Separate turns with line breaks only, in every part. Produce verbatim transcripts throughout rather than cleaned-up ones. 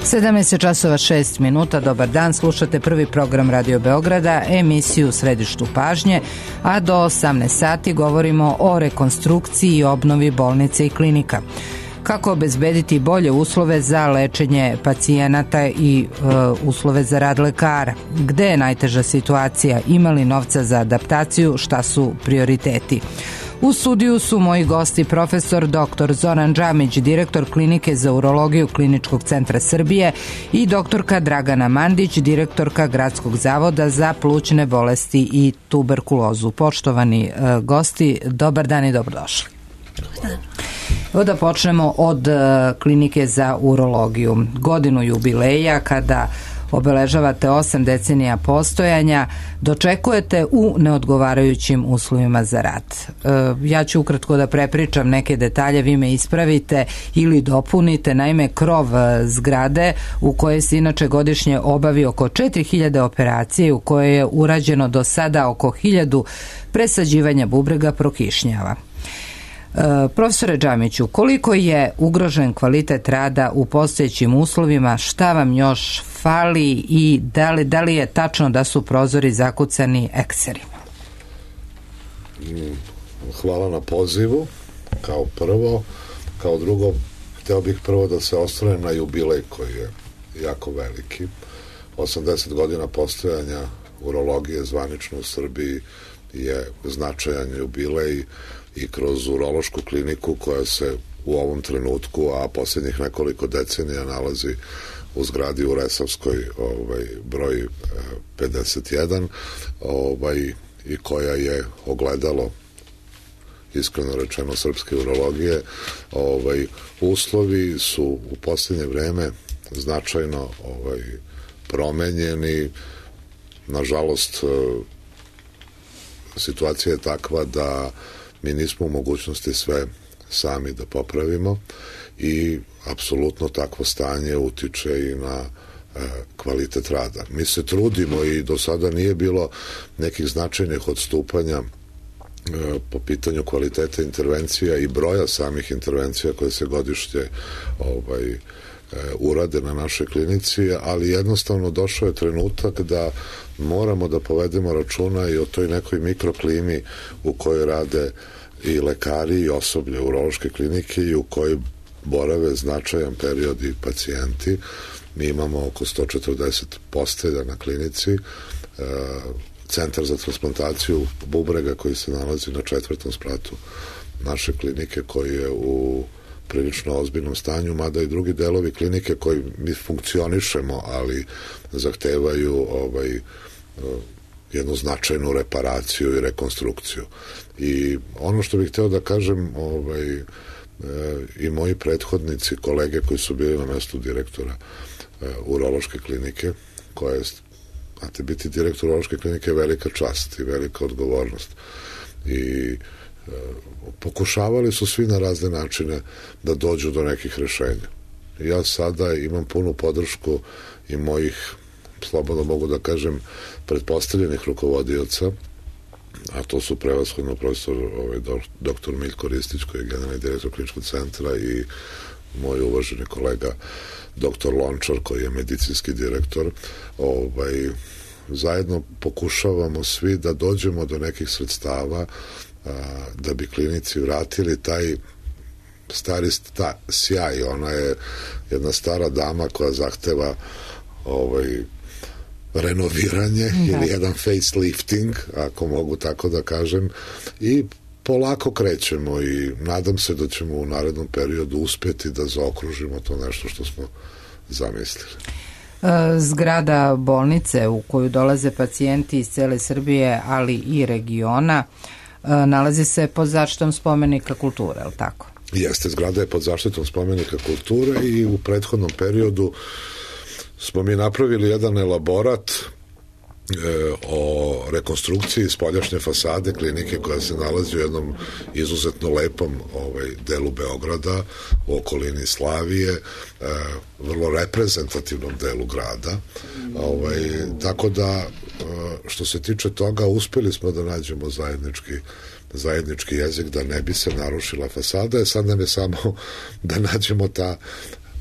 sedamnaest časova šest minuta, dobar dan, slušate prvi program Radio Beograda, emisiju u središtu pažnje, a do osamnaest sati govorimo o rekonstrukciji i obnovi bolnice i klinika. Kako obezbediti bolje uslove za lečenje pacijenata i e, uslove za rad lekara? Gde je najteža situacija? Ima li novca za adaptaciju? Šta su prioriteti? U studiju su moji gosti profesor doktor Zoran Džamić, direktor Klinike za urologiju Kliničkog centra Srbije, i doktorka Dragana Mandić, direktorka Gradskog zavoda za plućne bolesti i tuberkulozu. Poštovani e, gosti, dobar dan i dobrodošli. Evo da počnemo od e, Klinike za urologiju. Godinu jubileja kada obeležavate osam decenija postojanja, dočekujete u neodgovarajućim uslovima za rad. E, ja ću ukratko da prepričam neke detalje, vi me ispravite ili dopunite. Naime, krov zgrade u kojoj se inače godišnje obavi oko četiri hiljade operacije, u kojoj je urađeno do sada oko hiljadu presađivanja bubrega, prokišnjava. E, profesore Džamiću, koliko je ugrožen kvalitet rada u postojećim uslovima, šta vam još fali i da li, da li je tačno da su prozori zakucani ekserima?
Hvala na pozivu, kao prvo. Kao drugo, hteo bih prvo da se osvrnem na jubilej koji je jako veliki. osamdeset godina postojanja urologije zvanično u Srbiji je značajan jubilej i kroz urološku kliniku koja se u ovom trenutku, a posljednjih nekoliko decenija nalazi u zgradi u Resavskoj, ovaj, broj pedeset jedan, ovaj, i koja je ogledalo, iskreno rečeno, srpske urologije. Ovaj, uslovi su u posljednje vreme značajno ovaj, promenjeni. Nažalost, situacija je takva da mi nismo u mogućnosti sve sami da popravimo i apsolutno takvo stanje utiče i na e, kvalitet rada. Mi se trudimo i do sada nije bilo nekih značajnih odstupanja e, po pitanju kvaliteta intervencija i broja samih intervencija koje se godišnje ovaj, e, urade na našoj klinici, ali jednostavno došao je trenutak da moramo da povedemo računa i o toj nekoj mikroklimi u kojoj rade i lekari i osoblje urološke klinike i u kojoj borave značajan period i pacijenti. Mi imamo oko sto četrdeset postelja na klinici, centar za transplantaciju bubrega koji se nalazi na četvrtom spratu naše klinike, koji je u prilično ozbiljnom stanju, mada i drugi delovi klinike koji mi funkcionišemo, ali zahtevaju ovaj, jednu značajnu reparaciju i rekonstrukciju. I ono što bih hteo da kažem, ovaj, e, i moji prethodnici, kolege koji su bili na mestu direktora e, urološke klinike, koja je, znate, biti direktor urološke klinike je velika čast i velika odgovornost. I e, pokušavali su svi na razne načine da dođu do nekih rešenja. Ja sada imam punu podršku i mojih, slobodno mogu da kažem, pretpostavljenih rukovodioca, a to su prevashodno profesor ovaj, doktor Miljko Ristić, koji je generalni direktor Kliničkog centra, i moj uvaženi kolega doktor Lončar, koji je medicinski direktor. Ovaj, zajedno pokušavamo svi da dođemo do nekih sredstava a, da bi klinici vratili taj stari sta, sjaj. Ona je jedna stara dama koja zahteva ovaj, renoviranje, da, ili jedan facelifting, ako mogu tako da kažem, i polako krećemo i nadam se da ćemo u narednom periodu uspjeti da zaokružimo to nešto što smo zamislili.
Zgrada bolnice u koju dolaze pacijenti iz cele Srbije, ali i regiona, nalazi se pod zaštitom spomenika kulture, je li tako?
Jeste, zgrada je pod zaštitom spomenika kulture i u prethodnom periodu smo mi napravili jedan elaborat e, o rekonstrukciji spoljašnje fasade klinike koja se nalazi u jednom izuzetno lepom ovaj, delu Beograda, u okolini Slavije, e, vrlo reprezentativnom delu grada. Ovaj, tako da, e, što se tiče toga, uspeli smo da nađemo zajednički zajednički jezik da ne bi se narušila fasada. Sad nam je samo da nađemo ta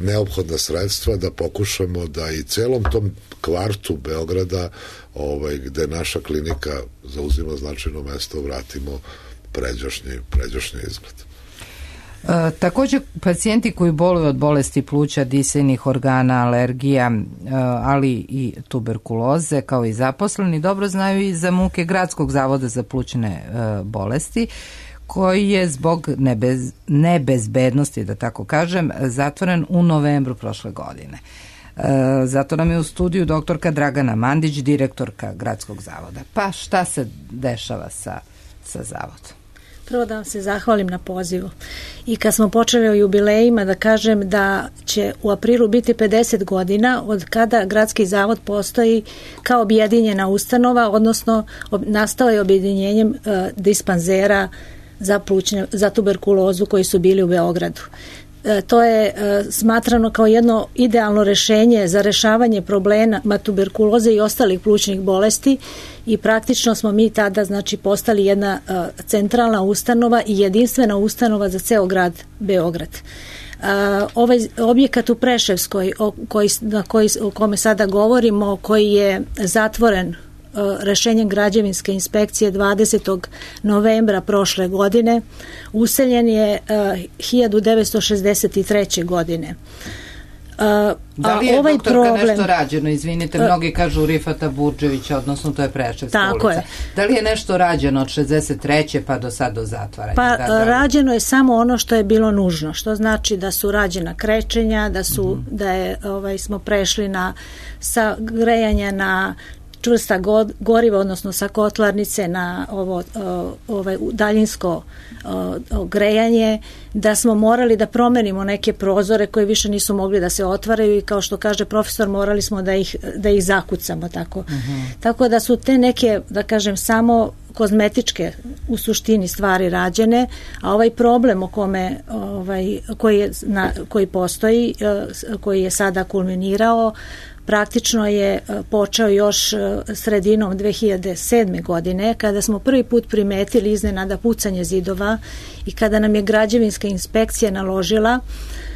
neophodna sredstva da pokušamo da i celom tom kvartu Beograda, ovaj, gde naša klinika zauzima značajno mesto, vratimo pređašnji, pređašnji izgled.
E, također pacijenti koji boluju od bolesti pluća, disajnih organa, alergija, e, ali i tuberkuloze, kao i zaposleni, dobro znaju i za muke Gradskog zavoda za plućne e, bolesti, koji je zbog nebez, nebezbednosti, da tako kažem, zatvoren u novembru prošle godine. E, zato nam je u studiju doktorka Dragana Mandić, direktorka Gradskog zavoda. Pa šta se dešava sa, sa zavodom?
Prvo da vam se zahvalim na pozivu. I kad smo počeli o jubilejima, da kažem da će u aprilu biti pedeset godina od kada Gradski zavod postoji kao objedinjena ustanova, odnosno ob, nastao je objedinjenjem uh, dispanzera za, plućne, za tuberkulozu koji su bili u Beogradu. E, to je e, smatrano kao jedno idealno rešenje za rešavanje problema tuberkuloze i ostalih plućnih bolesti i praktično smo mi tada znači postali jedna e, centralna ustanova i jedinstvena ustanova za ceo grad Beograd. E, ovaj objekat u Preševskoj o, koji, na koji, o kome sada govorimo, koji je zatvoren rešenjem građevinske inspekcije dvadesetog novembra prošle godine, useljen je uh, hiljadu devetsto šezdeset treće. godine. Uh,
da li je, ovaj doktorka, problem, nešto rađeno? Izvinite, uh, mnogi kažu Rifata Burđevića, odnosno to je Preševska ulica. Je. Da li je nešto rađeno od šezdeset treće pa do sad do zatvaranja?
Pa
da, da
rađeno je samo ono što je bilo nužno, što znači da su rađena krečenja, da su uh-huh. da je ovaj smo prešli na sa grejanja na čvrsta goriva, odnosno sa kotlarnice na ovo ovaj daljinsko grejanje, da smo morali da promenimo neke prozore koje više nisu mogli da se otvaraju i kao što kaže profesor, morali smo da ih, da ih zakucamo tako. Uh-huh. Tako da su te neke, da kažem, samo kozmetičke u suštini stvari rađene, a ovaj problem o kome ovaj, koji, je, na, koji postoji, koji je sada kulminirao, praktično je počeo još sredinom dve hiljade sedme. godine, kada smo prvi put primetili iznenada pucanje zidova i kada nam je građevinska inspekcija naložila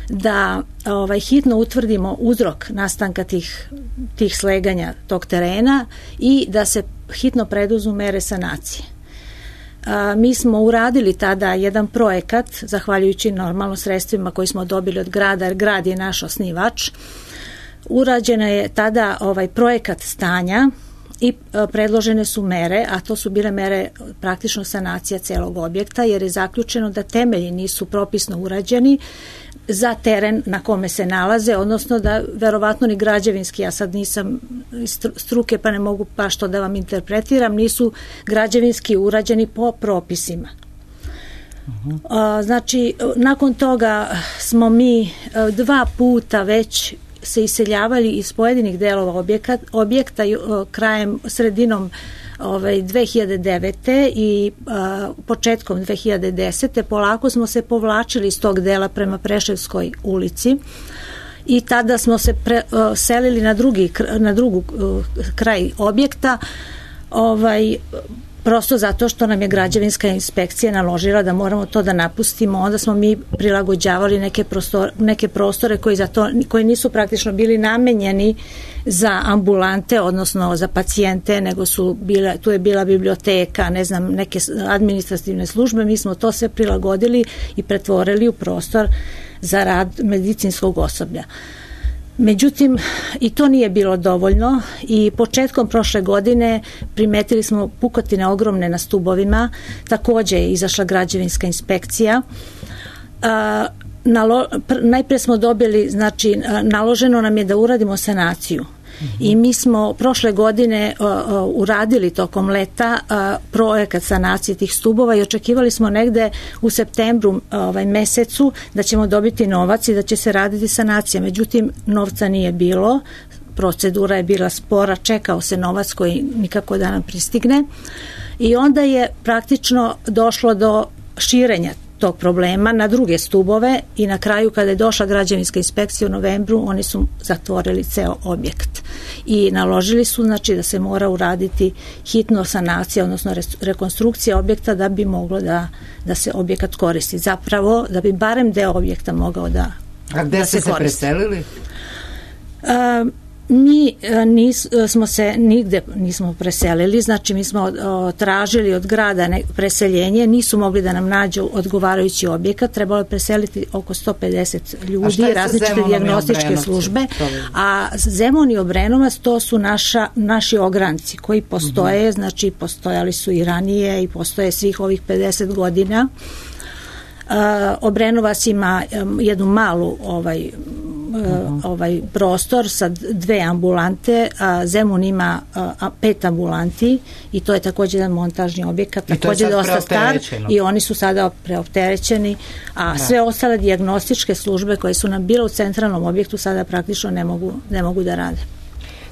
da ovaj, hitno utvrdimo uzrok nastanka tih, tih sleganja tog terena i da se hitno preduzmu mere sanacije. A, mi smo uradili tada jedan projekat, zahvaljujući normalno sredstvima koji smo dobili od grada, jer grad je naš osnivač. Urađena je tada ovaj projekat stanja i predložene su mere, a to su bile mere praktično sanacija celog objekta, jer je zaključeno da temelji nisu propisno urađeni za teren na kome se nalaze, odnosno da verovatno ni građevinski, ja sad nisam struke pa ne mogu baš to da vam interpretiram, nisu građevinski urađeni po propisima. Uh-huh. A, znači, nakon toga smo mi dva puta već se iseljavali iz pojedinih delova objekta, objekta krajem, sredinom ovaj, dve hiljade devete. i a, početkom dve hiljade desete. polako smo se povlačili iz tog dela prema Preševskoj ulici i tada smo se pre, a, selili na drugi, na drugu a, kraj objekta, ovaj, prosto zato što nam je građevinska inspekcija naložila da moramo to da napustimo. Onda smo mi prilagođavali neke prostore, neke prostore koji, za to, koji nisu praktično bili namenjeni za ambulante, odnosno za pacijente, nego su bile, tu je bila biblioteka, ne znam, neke administrativne službe. Mi smo to sve prilagodili i pretvorili u prostor za rad medicinskog osoblja. Međutim, i to nije bilo dovoljno i početkom prošle godine primetili smo pukotine ogromne na stubovima, takođe je izašla građevinska inspekcija. A, nalo, pr, najpre smo dobili, znači, naloženo nam je da uradimo sanaciju. I mi smo prošle godine uh, uh, uradili tokom leta uh, projekat sanacije tih stubova i očekivali smo negde u septembru uh, ovaj mesecu da ćemo dobiti novac i da će se raditi sanacija. Međutim, novca nije bilo, procedura je bila spora, čekao se novac koji nikako da nam pristigne i onda je praktično došlo do širenja tog problema na druge stubove i na kraju kada je došla građevinska inspekcija u novembru, oni su zatvorili ceo objekt i naložili su, znači, da se mora uraditi hitno sanacija, odnosno rekonstrukcija objekta da bi moglo da, da se objekat koristi. Zapravo, da bi barem deo objekta mogao da
A gde ste se preselili?
Uh, mi nis, smo se nigde nismo preselili, znači mi smo o, tražili od grada ne, preseljenje, nisu mogli da nam nađu odgovarajući objekat, trebalo je preseliti oko sto pedeset ljudi, različite dijagnostičke službe, a Zemun i Obrenovac to su naša, naši ogranci koji postoje, mm-hmm. znači postojali su i ranije i postoje svih ovih pedeset godina. Uh, Obrenovac ima um, jednu malu ovaj Uh-huh. ovaj prostor sa dve ambulante, a Zemun ima a, pet ambulanti i to je također jedan montažni objekat, također dosta star i oni su sada preopterećeni, a da. Sve ostale dijagnostičke službe koje su nam bile u centralnom objektu sada praktično ne mogu, ne mogu da rade.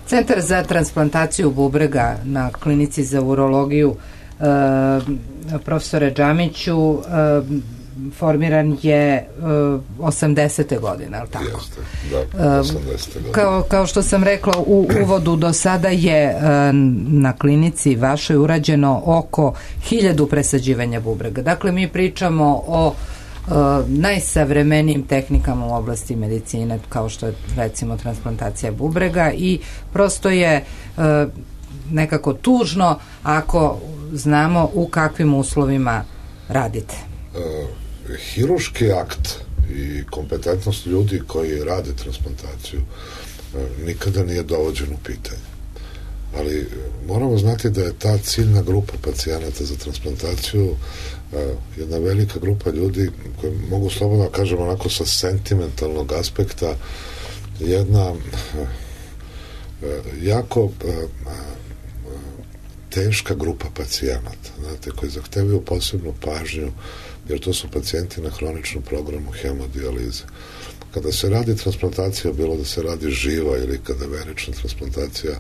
Centar za transplantaciju bubrega na klinici za urologiju, e, profesore Džamiću, e, formiran je uh, osamdesete godine, ali tako?
Jeste, da, osamdesete godine.
Kao, kao što sam rekla u uvodu, do sada je uh, na klinici vašoj urađeno oko hiljadu presađivanja bubrega. Dakle, mi pričamo o uh, najsavremenijim tehnikama u oblasti medicine, kao što je recimo transplantacija bubrega, i prosto je uh, nekako tužno ako znamo u kakvim uslovima radite.
Uh, Hiruški akt i kompetentnost ljudi koji rade transplantaciju nikada nije dovođen u pitanje. Ali moramo znati da je ta ciljna grupa pacijenata za transplantaciju jedna velika grupa ljudi koji mogu slobodno kažem onako sa sentimentalnog aspekta jedna jako teška grupa pacijenata, znate, koji zahtevaju posebnu pažnju, jer to su pacijenti na hroničnom programu hemodijalize. Kada se radi transplantacija, bilo da se radi živa ili kada verična transplantacija,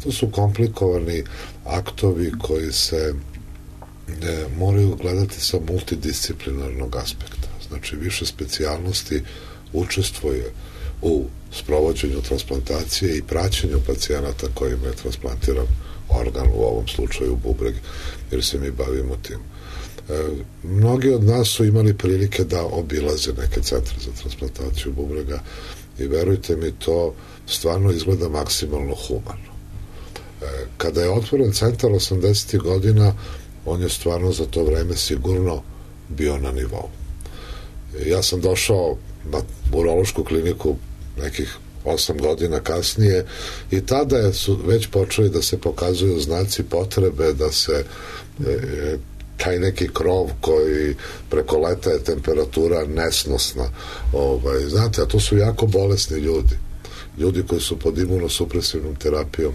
to su komplikovani aktovi koji se ne, moraju gledati sa multidisciplinarnog aspekta. Znači, više specijalnosti učestvuje u sprovođenju transplantacije i praćenju pacijenata kojima je transplantiran organ, u ovom slučaju bubreg, jer se mi bavimo tim. E, mnogi od nas su imali prilike da obilaze neke centre za transplantaciju bubrega i verujte mi, to stvarno izgleda maksimalno humano. E, kada je otvoren centar osamdesetih godina, on je stvarno za to vreme sigurno bio na nivou. E, ja sam došao na urološku kliniku nekih osam godina kasnije i tada su već počeli da se pokazuju znaci potrebe da se e, taj neki krov koji preko leta je temperatura nesnosna, ovaj, znate, a to su jako bolesni ljudi ljudi koji su pod imunosupresivnom terapijom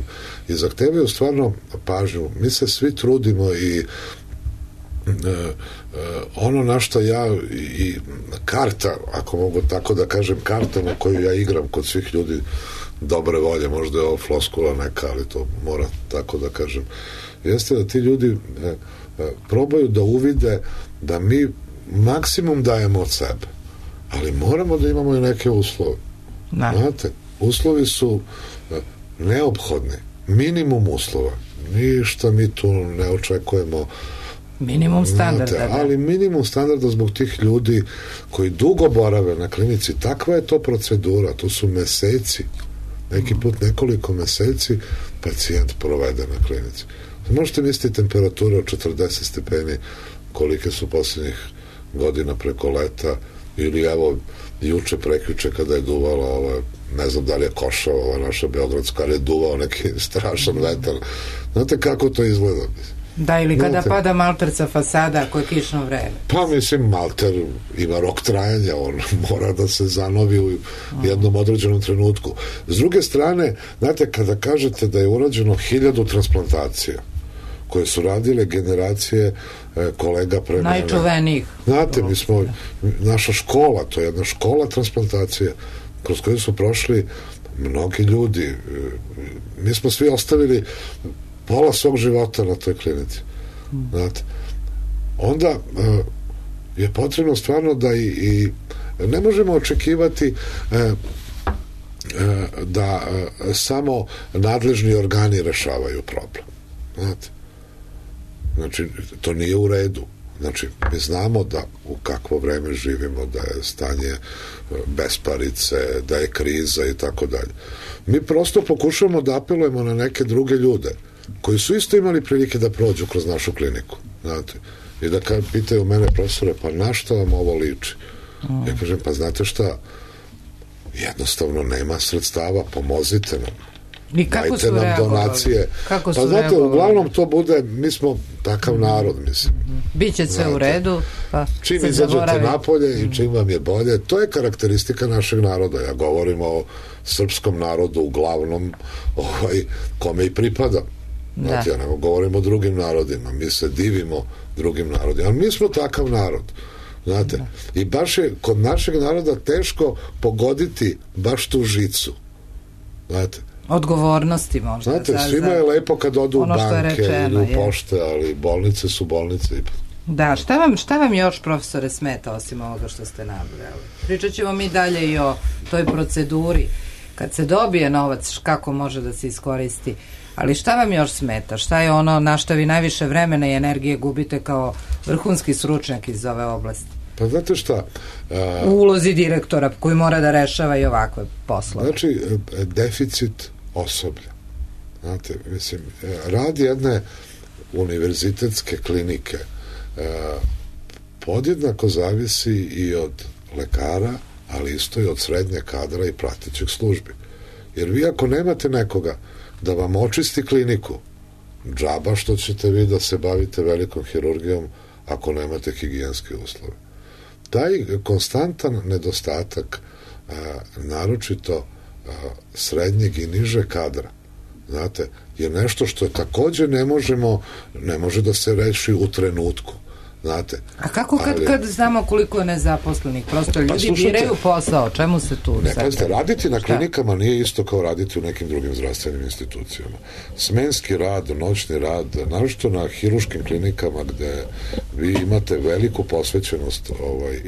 i zahtevaju stvarno pažnju. Mi se svi trudimo i e, e, ono na što ja i karta, ako mogu tako da kažem, karta na koju ja igram kod svih ljudi dobre volje, možda je ovo floskula neka, ali to mora tako da kažem, jeste da ti ljudi e, e, probaju da uvide da mi maksimum dajemo od sebe, ali moramo da imamo i neke uslove. Da. Znate, uslovi su e, neophodni, minimum uslova, ništa mi tu ne očekujemo.
Minimum standarda.
Znate, ali minimum standarda zbog tih ljudi koji dugo borave na klinici. Takva je to procedura, to su meseci, neki put nekoliko meseci pacijent provede na klinici. Možete misliti temperature od četrdeset stepeni kolike su posljednjih godina preko leta, ili evo juče prekjuče kada je duvala ova, ne znam da li je Košava, ova naša beogradska, ali je duvao neki strašan vetar. Znate kako to izgleda?
Da, ili kada Znate, pada malter sa fasada ako je kišno vreme.
Pa mislim, malter ima rok trajanja, on mora da se zanovi u jednom određenom trenutku. S druge strane, znate, kada kažete da je urađeno hiljadu transplantacija koje su radile generacije e, kolega pre mene.
Najčuvenijih.
Znate, mi smo, naša škola, to je jedna škola transplantacije kroz koju su prošli mnogi ljudi. E, mi smo svi ostavili pola svog života na toj klinici. Hmm. Znate, onda e, je potrebno stvarno da i, i ne možemo očekivati e, e, da e, samo nadležni organi rešavaju problem. Znate, znači, to nije u redu. Znači, mi znamo da u kakvo vreme živimo, da je stanje besparice, da je kriza i tako dalje. Mi prosto pokušavamo da apelujemo na neke druge ljude koji su isto imali prilike da prođu kroz našu kliniku, znate, i da kad pitaju mene, profesore, pa na šta vam ovo liči? Mm. Ja kažem, pa znate šta, jednostavno nema sredstava, pomozite nam.
I kako
dajte
su
nam
reagovali?
donacije.
Kako su
pa znate,
reagovali?
uglavnom to bude, mi smo takav narod, mislim.
Mm-hmm. Biće sve znate, u redu, pa
čim
se
izađete
zaboravi.
napolje mm-hmm. i čim vam je bolje, to je karakteristika našeg naroda. Ja govorim o srpskom narodu uglavnom, ovaj, kome i pripada. Znate, ja nego govorim o drugim narodima, mi se divimo drugim narodima, ali mi smo takav narod, znate, da. I baš je kod našeg naroda teško pogoditi baš tu žicu, znate.
Odgovornosti možda.
Znate,
za,
svima je lepo kad odu u banke rečeno, ili u pošte, ali bolnice su bolnice.
Da, šta vam, šta vam još, profesore, smeta osim ovoga što ste nabrali? Pričat ćemo mi dalje i o toj proceduri. Kad se dobije novac, kako može da se iskoristi. Ali šta vam još smeta? Šta je ono na što vi najviše vremena i energije gubite kao vrhunski stručnjak iz ove oblasti?
Pa znate šta? A,
u ulozi direktora koji mora da rešava i ovakve poslove.
Znači, deficit osoblja. Znate, mislim, rad jedne univerzitetske klinike a, podjednako zavisi i od lekara, ali isto i od srednje kadra i pratećih službi. Jer vi ako nemate nekoga da vam očisti kliniku, džaba što ćete vi da se bavite velikom hirurgijom ako nemate higijenske uslove. Taj konstantan nedostatak, a, naročito a, srednjeg i niže kadra, znate, je nešto što takođe ne možemo, ne može da se reši u trenutku. Znate,
a kako kad, ali, kad znamo koliko je nezaposlenih? Prosto ljudi pa slušajte, biraju posao, čemu se tu?
Ne, pazite, raditi na klinikama nije isto kao raditi u nekim drugim zdravstvenim institucijama. Smenski rad, noćni rad, naročito na hiruškim klinikama gde vi imate veliku posvećenost, ovaj,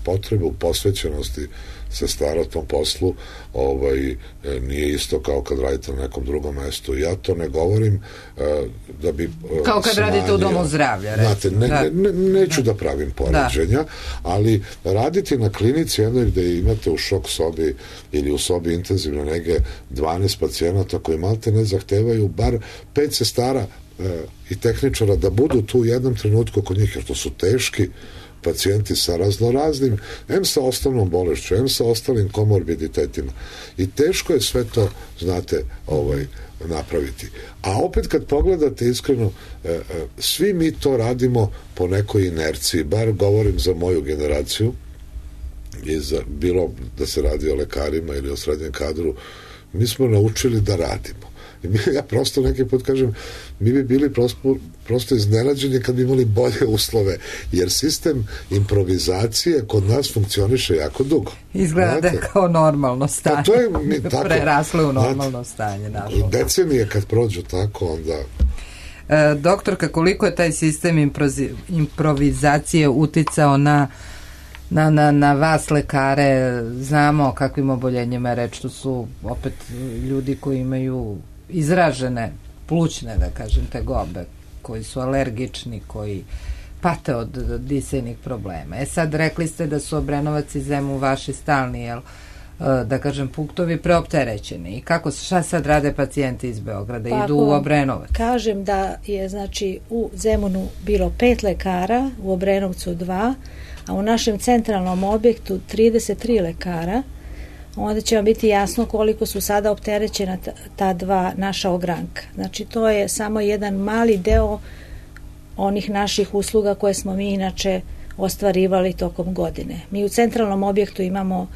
potrebu posvećenosti sestara tom poslu, ovaj, nije isto kao kad radite na nekom drugom mestu. Ja to ne govorim da bi
kao kad smanjio, radite u domu zdravlja.
Znate, ne, ne, ne, neću da, da pravim poređenja, da. Ali raditi na klinici jednoj gde imate u šok sobi ili u sobi intenzivne nege dvanaest pacijenata koji malte ne zahtevaju bar pet sestara e, i tehničara da budu tu u jednom trenutku kod njih, jer to su teški pacijenti sa raznoraznim, em sa osnovnom bolešću, em sa ostalim komorbiditetima. I teško je sve to, znate, ovaj, napraviti. A opet kad pogledate iskreno, e, e, svi mi to radimo po nekoj inerciji, bar govorim za moju generaciju, i za, bilo da se radi o lekarima ili o srednjem kadru, mi smo naučili da radimo. I mi, ja prosto neki put kažem, mi bi bili prosto, prosto iznenađeni kad bi imali bolje uslove, jer sistem improvizacije kod nas funkcioniše jako dugo.
Izgleda da je kao normalno stanje.
Pa to je mi, tako,
preraslo u normalno stanje. Nažalost.
Decenije kad prođu tako, onda...
E, doktorka, koliko je taj sistem improzi, improvizacije uticao na Na, na, na vas lekare? Znamo o kakvim oboljenjima je reč, to su opet ljudi koji imaju izražene plućne, da kažem, tegobe, koji su alergični, koji pate od, od disajnih problema. E sad, rekli ste da su Obrenovac i Zemun vaši stalni, jel, da kažem, punktovi preopterećeni. I kako, šta sad rade pacijenti iz Beograda? Pa, idu u Obrenovac?
Kažem da je, znači, u Zemunu bilo pet lekara, u Obrenovcu dva, a u našem centralnom objektu trideset tri lekara, onda će vam biti jasno koliko su sada opterećena ta, ta dva naša ogranka. Znači, to je samo jedan mali deo onih naših usluga koje smo mi inače ostvarivali tokom godine. Mi u centralnom objektu imamo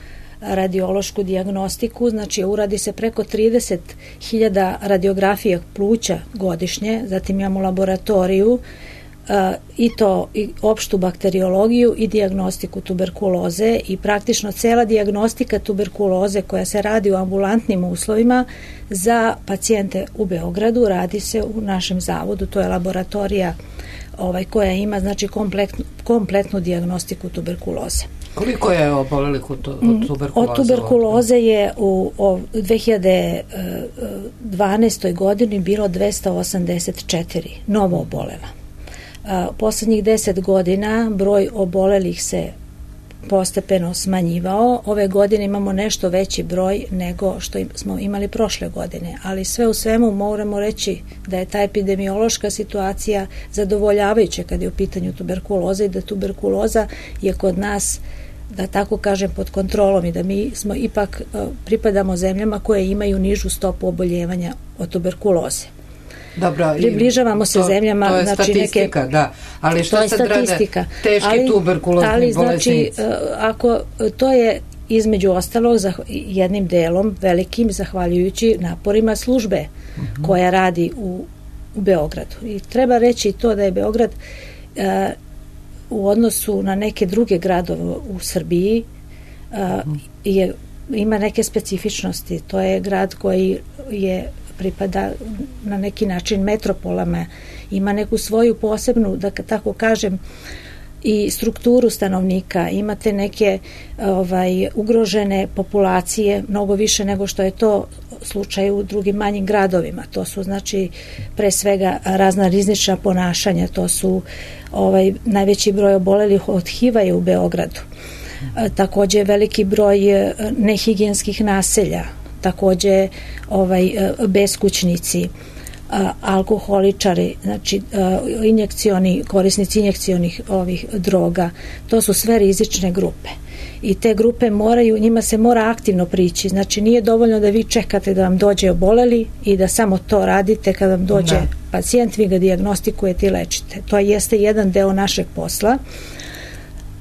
radiološku dijagnostiku, znači uradi se preko trideset hiljada radiografija pluća godišnje, zatim imamo laboratoriju, Uh, i to i opštu bakteriologiju i dijagnostiku tuberkuloze i praktično cela dijagnostika tuberkuloze koja se radi u ambulantnim uslovima za pacijente u Beogradu radi se u našem zavodu, to je laboratorija ovaj, koja ima znači kompletnu, kompletnu dijagnostiku tuberkuloze.
Koliko je obolelih od tuberkuloze?
Od tuberkuloze je u, u dve hiljade dvanaestoj godini bilo dvesta osamdeset četiri novo obolela. Poslednjih deset godina broj obolelih se postepeno smanjivao. Ove godine imamo nešto veći broj nego što smo imali prošle godine, ali sve u svemu moramo reći da je ta epidemiološka situacija zadovoljavajuća kad je u pitanju tuberkuloza i da tuberkuloza je kod nas, da tako kažem, pod kontrolom i da mi smo ipak pripadamo zemljama koje imaju nižu stopu oboljevanja od tuberkuloze.
Dobro,
približavamo se
to,
zemljama,
to je
znači
statistika,
neke,
da, ali što sad rade teški
ali,
tuberkulozni
ali,
bolesnici?
Znači, ako to je između ostalog za jednim delom velikim zahvaljujući naporima službe uh-huh. koja radi u, u Beogradu. I treba reći to da je Beograd uh, u odnosu na neke druge gradove u Srbiji uh, uh-huh. je, ima neke specifičnosti. To je grad koji je pripada na neki način metropolama, ima neku svoju posebnu, da tako kažem, i strukturu stanovnika, imate neke ovaj, ugrožene populacije, mnogo više nego što je to slučaj u drugim manjim gradovima. To su, znači, pre svega razna rizična ponašanja, to su ovaj, najveći broj obolelih od H I V-a je u Beogradu. Takođe veliki broj nehigijenskih naselja, takođe ovaj, beskućnici, alkoholičari, znači injekcioni, korisnici injekcionih ovih droga, to su sve rizične grupe. I te grupe moraju, njima se mora aktivno prići, znači nije dovoljno da vi čekate da vam dođe oboleli i da samo to radite kad vam dođe da. pacijent, vi ga dijagnostikujete i lečite. To jeste jedan deo našeg posla.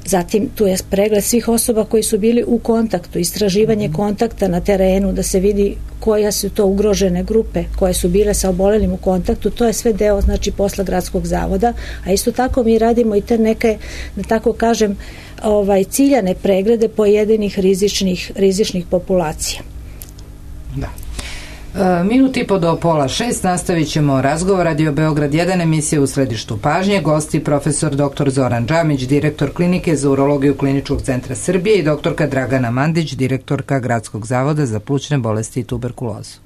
Zatim tu je pregled svih osoba koji su bili u kontaktu, istraživanje mm-hmm. kontakta na terenu, da se vidi koja su to ugrožene grupe koje su bile sa obolelim u kontaktu. To je sve deo, znači, posla gradskog zavoda, a isto tako mi radimo i te neke, da tako kažem, ovaj, ciljane preglede pojedinih rizičnih, rizičnih populacija.
Da. Minut i po do pola šest nastavit ćemo razgovor. Radio Beograd jedan, emisija u središtu pažnje. Gosti profesor doktor Zoran Džamić, direktor klinike za urologiju Kliničkog centra Srbije, i doktorka Dragana Mandić, direktorka Gradskog zavoda za plućne bolesti i tuberkulozu.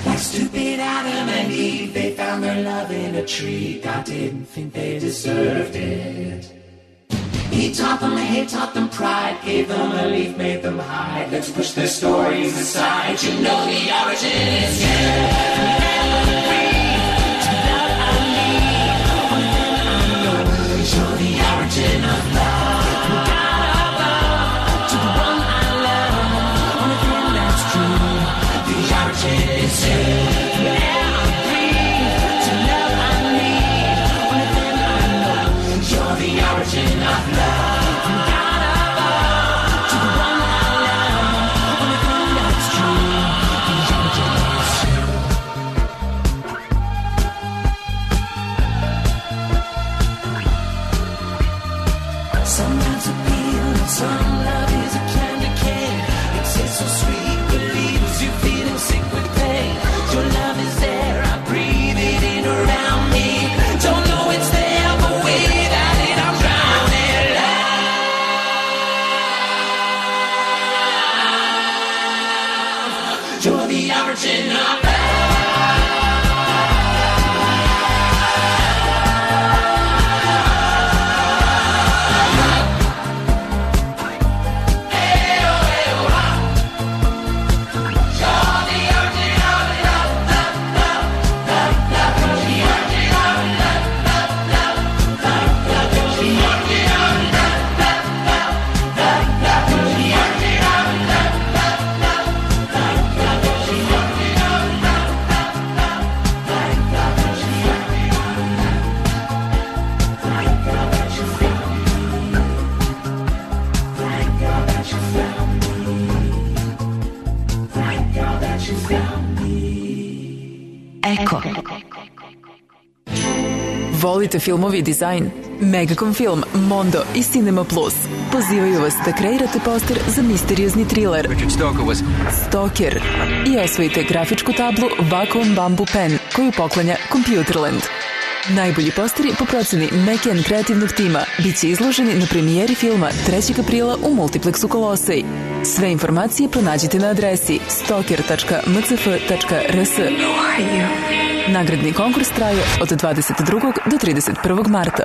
Like stupid Adam and Eve, they found their tree. God didn't think they deserved it. He taught them hate, taught them pride, gave them a leaf, made them hide. Let's push their stories aside. You know the origin is here. You're the origin of love. Gotta love to the one I love. Only thing that's true. The origin is you. Yeah, I'm free to love I need. Only thing I know. You're the origin of love. Gotta love to the one I love. Only thing that's true. The origin is you. Sometimes a peel and some love is a candy cane. It tastes so sweet, but leaves you feeling sick with pain. Your love is there, I breathe it in around me. Don't know it's there, but without it I'm drowning. Love, you're the origin of love.
Eko. Volite filmovi i dizajn? Megacom Film, Mondo i Cinema Plus pozivaju vas da kreirate poster za misteriozni thriller
was...
Stalker i osvojite grafičku tablu Wacom Bamboo Pen koju poklanja Computerland. Najbolji posteri po proceni Mekian kreativnog tima bit će izloženi na premijeri filma trećeg aprila u Multiplexu Kolosej. Sve informacije pronađite na adresi stalker tačka m c f tačka r s. Nagradni konkurs traje od dvadeset drugog do trideset prvog marta.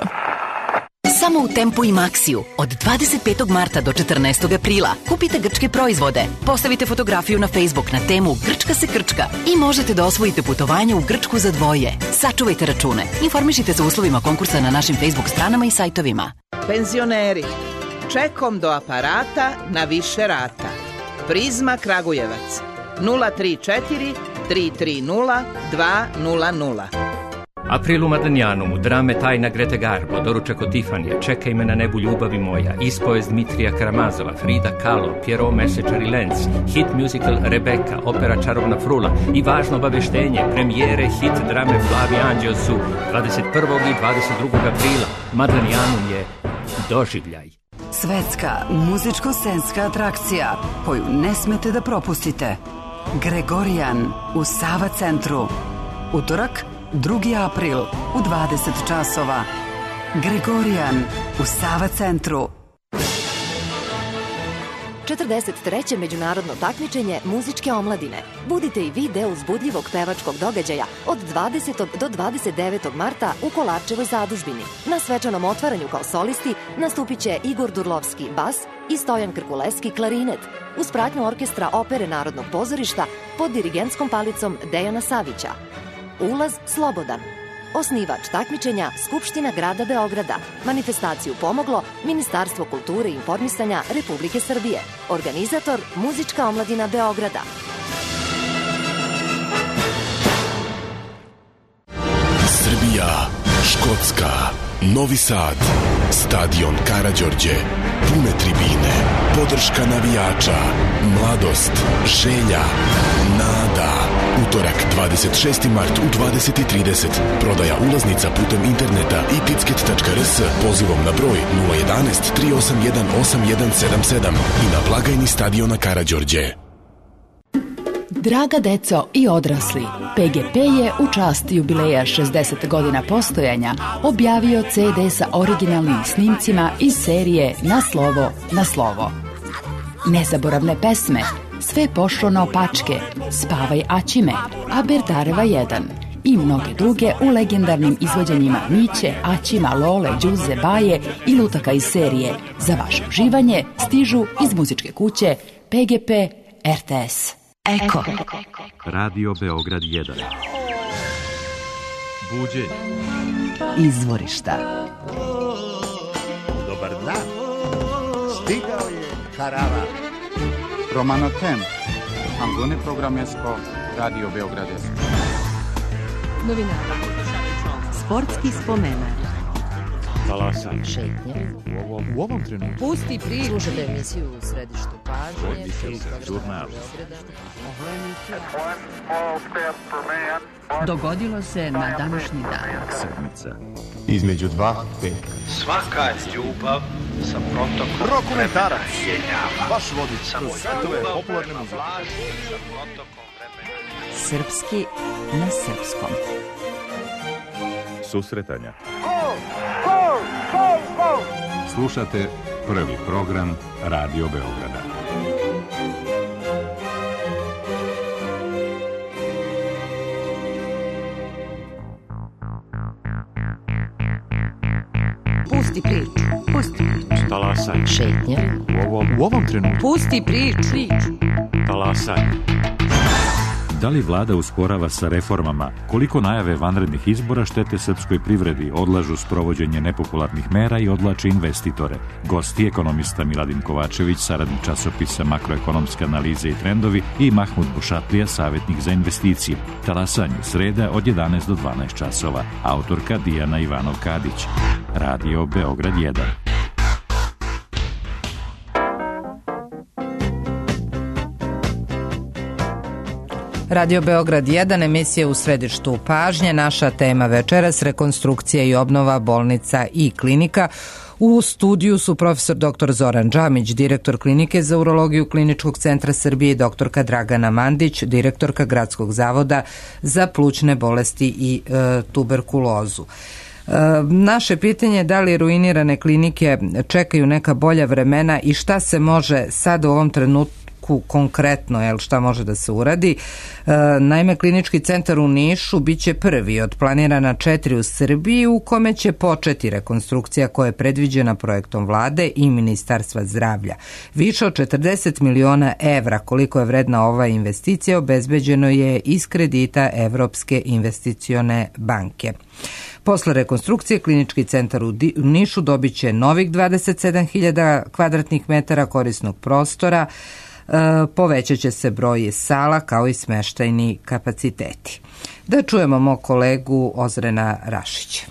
Samo u Tempu i Maxiju od dvadeset petog marta do četrnaestog aprila kupite grčke proizvode, postavite fotografiju na Facebook na temu Grčka se krčka i možete da osvojite putovanje u Grčku za dvoje. Sačuvajte račune. Informišite se o uslovima konkursa na našim Facebook stranama i sajtovima.
Penzioneri, čekom do aparata na više rata. Prizma Kragujevac nula tri četiri tri tri nula dva nula nula.
Aprilu Madanjanu, drame Tajna Grete Garbo, doručak od Tifanije, Čekaj me na nebu ljubavi moja, ispovest Dmitrija Karamazova, Frida Kahlo, Pierrot Mesečar i Lenz, hit musical Rebeka, opera Čarobna frula i važno obaveštenje, premijere hit drame Flavi Anđeo su dvadeset prvog i dvadeset drugog aprila. Madanjanu je doživljaj.
Svetska muzičko-scenska atrakcija koju ne smete da propustite. Gregorijan u Sava centru. Utorak, drugi april u dvadeset časova. Gregorijan u Sava centru.
četrdeset treće međunarodno takmičenje muzičke omladine. Budite i vi deo uzbudljivog pevačkog događaja od dvadesetog do dvadeset devetog marta u Kolarčevoj zadužbini. Na svečanom otvaranju kao solisti nastupit će Igor Durlovski bas i Stojan Krkuleski klarinet uz pratnju orkestra Opere Narodnog pozorišta pod dirigentskom palicom Dejana Savića. Ulaz slobodan. Osnivač takmičenja Skupština grada Beograda. Manifestaciju pomoglo Ministarstvo kulture i informisanja Republike Srbije. Organizator Muzička omladina Beograda.
Srbija, Škotska, Novi Sad, stadion Karađorđe, pune tribine, podrška navijača, mladost, želja, nada. Utorak, dvadeset šesti mart u dvadeset i trideset. Prodaja ulaznica putem interneta i ticket tačka r s pozivom na broj nula jedan tri osam jedan osam jedan sedam sedam i na blagajni stadiona Karađorđe.
Draga deco i odrasli, P G P je u čast jubileja šezdeset godina postojanja objavio C D sa originalnim snimcima iz serije Na slovo, na slovo. Nezaboravne pesme, Sve pošlo na opačke, Spavaj Aćime, A Berdareva jedan i mnoge druge u legendarnim izvođenjima Miće, Aćima, Lole, Đuze, Baje i lutaka iz serije. Za vaše uživanje stižu iz muzičke kuće P G P R T S. Eko.
Radio Beograd jedan. Buđenje.
Izvorišta.
Dobar dan. Stigao je Karavan. Romano Tem. Angone programesko Radio Beograd jedan.
Novinara. Sportski spomenar.
Talasan.
Šetnje.
U ovom, u ovom trenutku.
Pusti priču. Slušajte emisiju u središtu pažnje.
Žurnal.
Dogodilo se na današnji dan.
Sedmica.
Između dva pet.
Svaka ljubav sa protokom
Rokomentarac.
jenjava.
Baš vodi kroz svetove popularne muzike.
Sa protokom vremena.
Srpski na srpskom.
Susretanja.
Gol! Gol! Gol! Gol!
Slušate prvi program Radio Beograda.
Pusti priču. Pusti priču.
Talasan.
Šetnje.
U ovom, u ovom trenutku.
Pusti priču.
Talasan. Da li vlada usporava sa reformama? Koliko najave vanrednih izbora štete srpskoj privredi, odlažu sprovođenje nepopularnih mera i odlače investitore? Gosti ekonomista Miladin Kovačević, saradnik časopisa Makroekonomske analize i trendovi, i Mahmud Bušatlija, savjetnik za investicije. Talasanje sreda od jedanaest do dvanaest časova. Autorka Dijana Ivanov-Kadić. Radio Beograd jedan.
Radio Beograd jedan, emisija u središtu pažnje. Naša tema večeras rekonstrukcija i obnova bolnica i klinika. U studiju su profesor doktor Zoran Džamić, direktor klinike za urologiju Kliničkog centra Srbije, i doktorka Dragana Mandić, direktorka Gradskog zavoda za plućne bolesti i e, tuberkulozu. E, naše pitanje je da li ruinirane klinike čekaju neka bolja vremena i šta se može sad u ovom trenutku konkretno, jel, šta može da se uradi. E, naime, Klinički centar u Nišu biće prvi od planirana četiri u Srbiji u kome će početi rekonstrukcija koja je predviđena projektom vlade i Ministarstva zdravlja. Više od četrdeset miliona evra, koliko je vredna ova investicija, obezbeđeno je iz kredita Evropske investicione banke. Posle rekonstrukcije Klinički centar u Nišu dobit će novih dvadeset sedam hiljada kvadratnih metara korisnog prostora, povećat će se broj sala kao i smeštajni kapaciteti. Da čujemo mog kolegu Ozrena Rašića.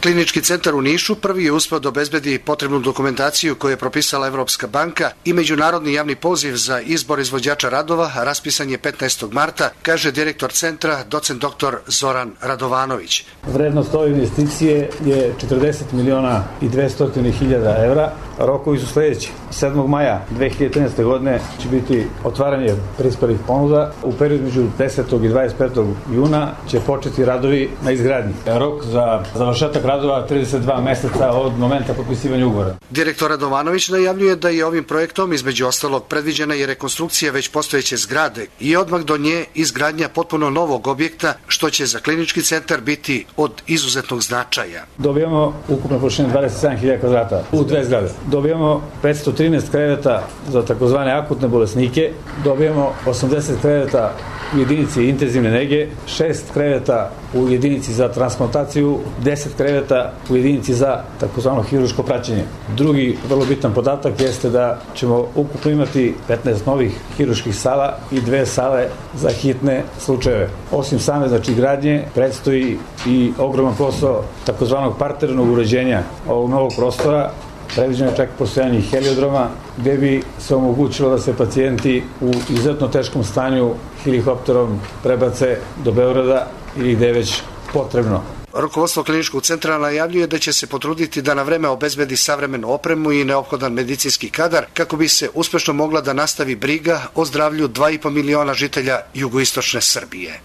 Klinički centar u Nišu prvi je uspeo da obezbedi potrebnu dokumentaciju koju je propisala Evropska banka i međunarodni javni poziv za izbor izvođača radova raspisan je petnaestog marta, kaže direktor centra, docent doktor Zoran Radovanović.
Vrednost ove investicije je četrdeset miliona i dvesta hiljada evra. Rokovi su sljedeći. sedmog maja dve hiljade trinaeste. godine će biti otvaranje prispelih ponuda. U periodu među desetog i dvadeset petog juna će početi radovi na izgradnji. Rok za završetak radova trideset dva meseca od momenta potpisivanja ugovora.
Direktor Radovanović najavljuje da je ovim projektom između ostalog predviđena i rekonstrukcija već postojeće zgrade i odmah do nje izgradnja potpuno novog objekta, što će za klinički centar biti od izuzetnog značaja.
Dobijamo ukupno površine dvadeset sedam hiljada kvadrata u dve zgrade. Dobijamo petsto trinaest kreveta za takozvane akutne bolesnike, dobijamo osamdeset kreveta u jedinici intenzivne nege, šest kreveta u jedinici za transplantaciju, deset kreveta u jedinici za takozvano hiruško praćenje. Drugi vrlo bitan podatak jeste da ćemo ukupno imati petnaest novih hiruških sala i dve sale za hitne slučajeve. Osim same znači gradnje, predstoji i ogroman posao takozvanog parternog uređenja ovog novog prostora. Predviđeno je čak postojanje heliodroma gde bi se omogućilo da se pacijenti u izuzetno teškom stanju helikopterom prebace do Beograda ili gde je već potrebno.
Rukovodstvo kliničkog centra najavljuje da će se potruditi da na vreme obezbedi savremenu opremu i neophodan medicinski kadar kako bi se uspešno mogla da nastavi briga o zdravlju dva i po miliona žitelja jugoistočne Srbije.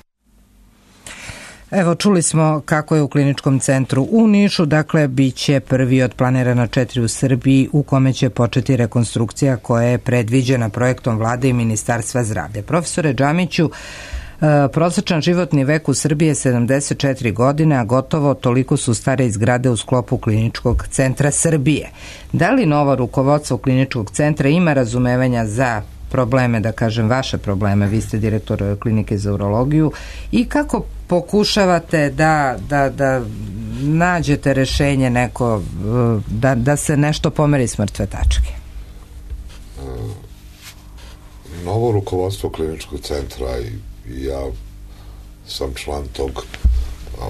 Evo, čuli smo kako je u Kliničkom centru u Nišu, dakle, bit će prvi od planirana četiri u Srbiji u kome će početi rekonstrukcija koja je predviđena projektom vlade i Ministarstva zdravlja. Profesore Džamiću, prosječan životni vek u Srbiji je sedamdeset četiri godine, a gotovo toliko su stare zgrade u sklopu Kliničkog centra Srbije. Da li novo rukovodstvo Kliničkog centra ima razumevanja za probleme, da kažem vaše probleme, vi ste direktor klinike za urologiju, i kako pokušavate da, da, da nađete rešenje neko, da, da se nešto pomeri s mrtve tačke?
Novo rukovodstvo Kliničkog centra i, i ja sam član tog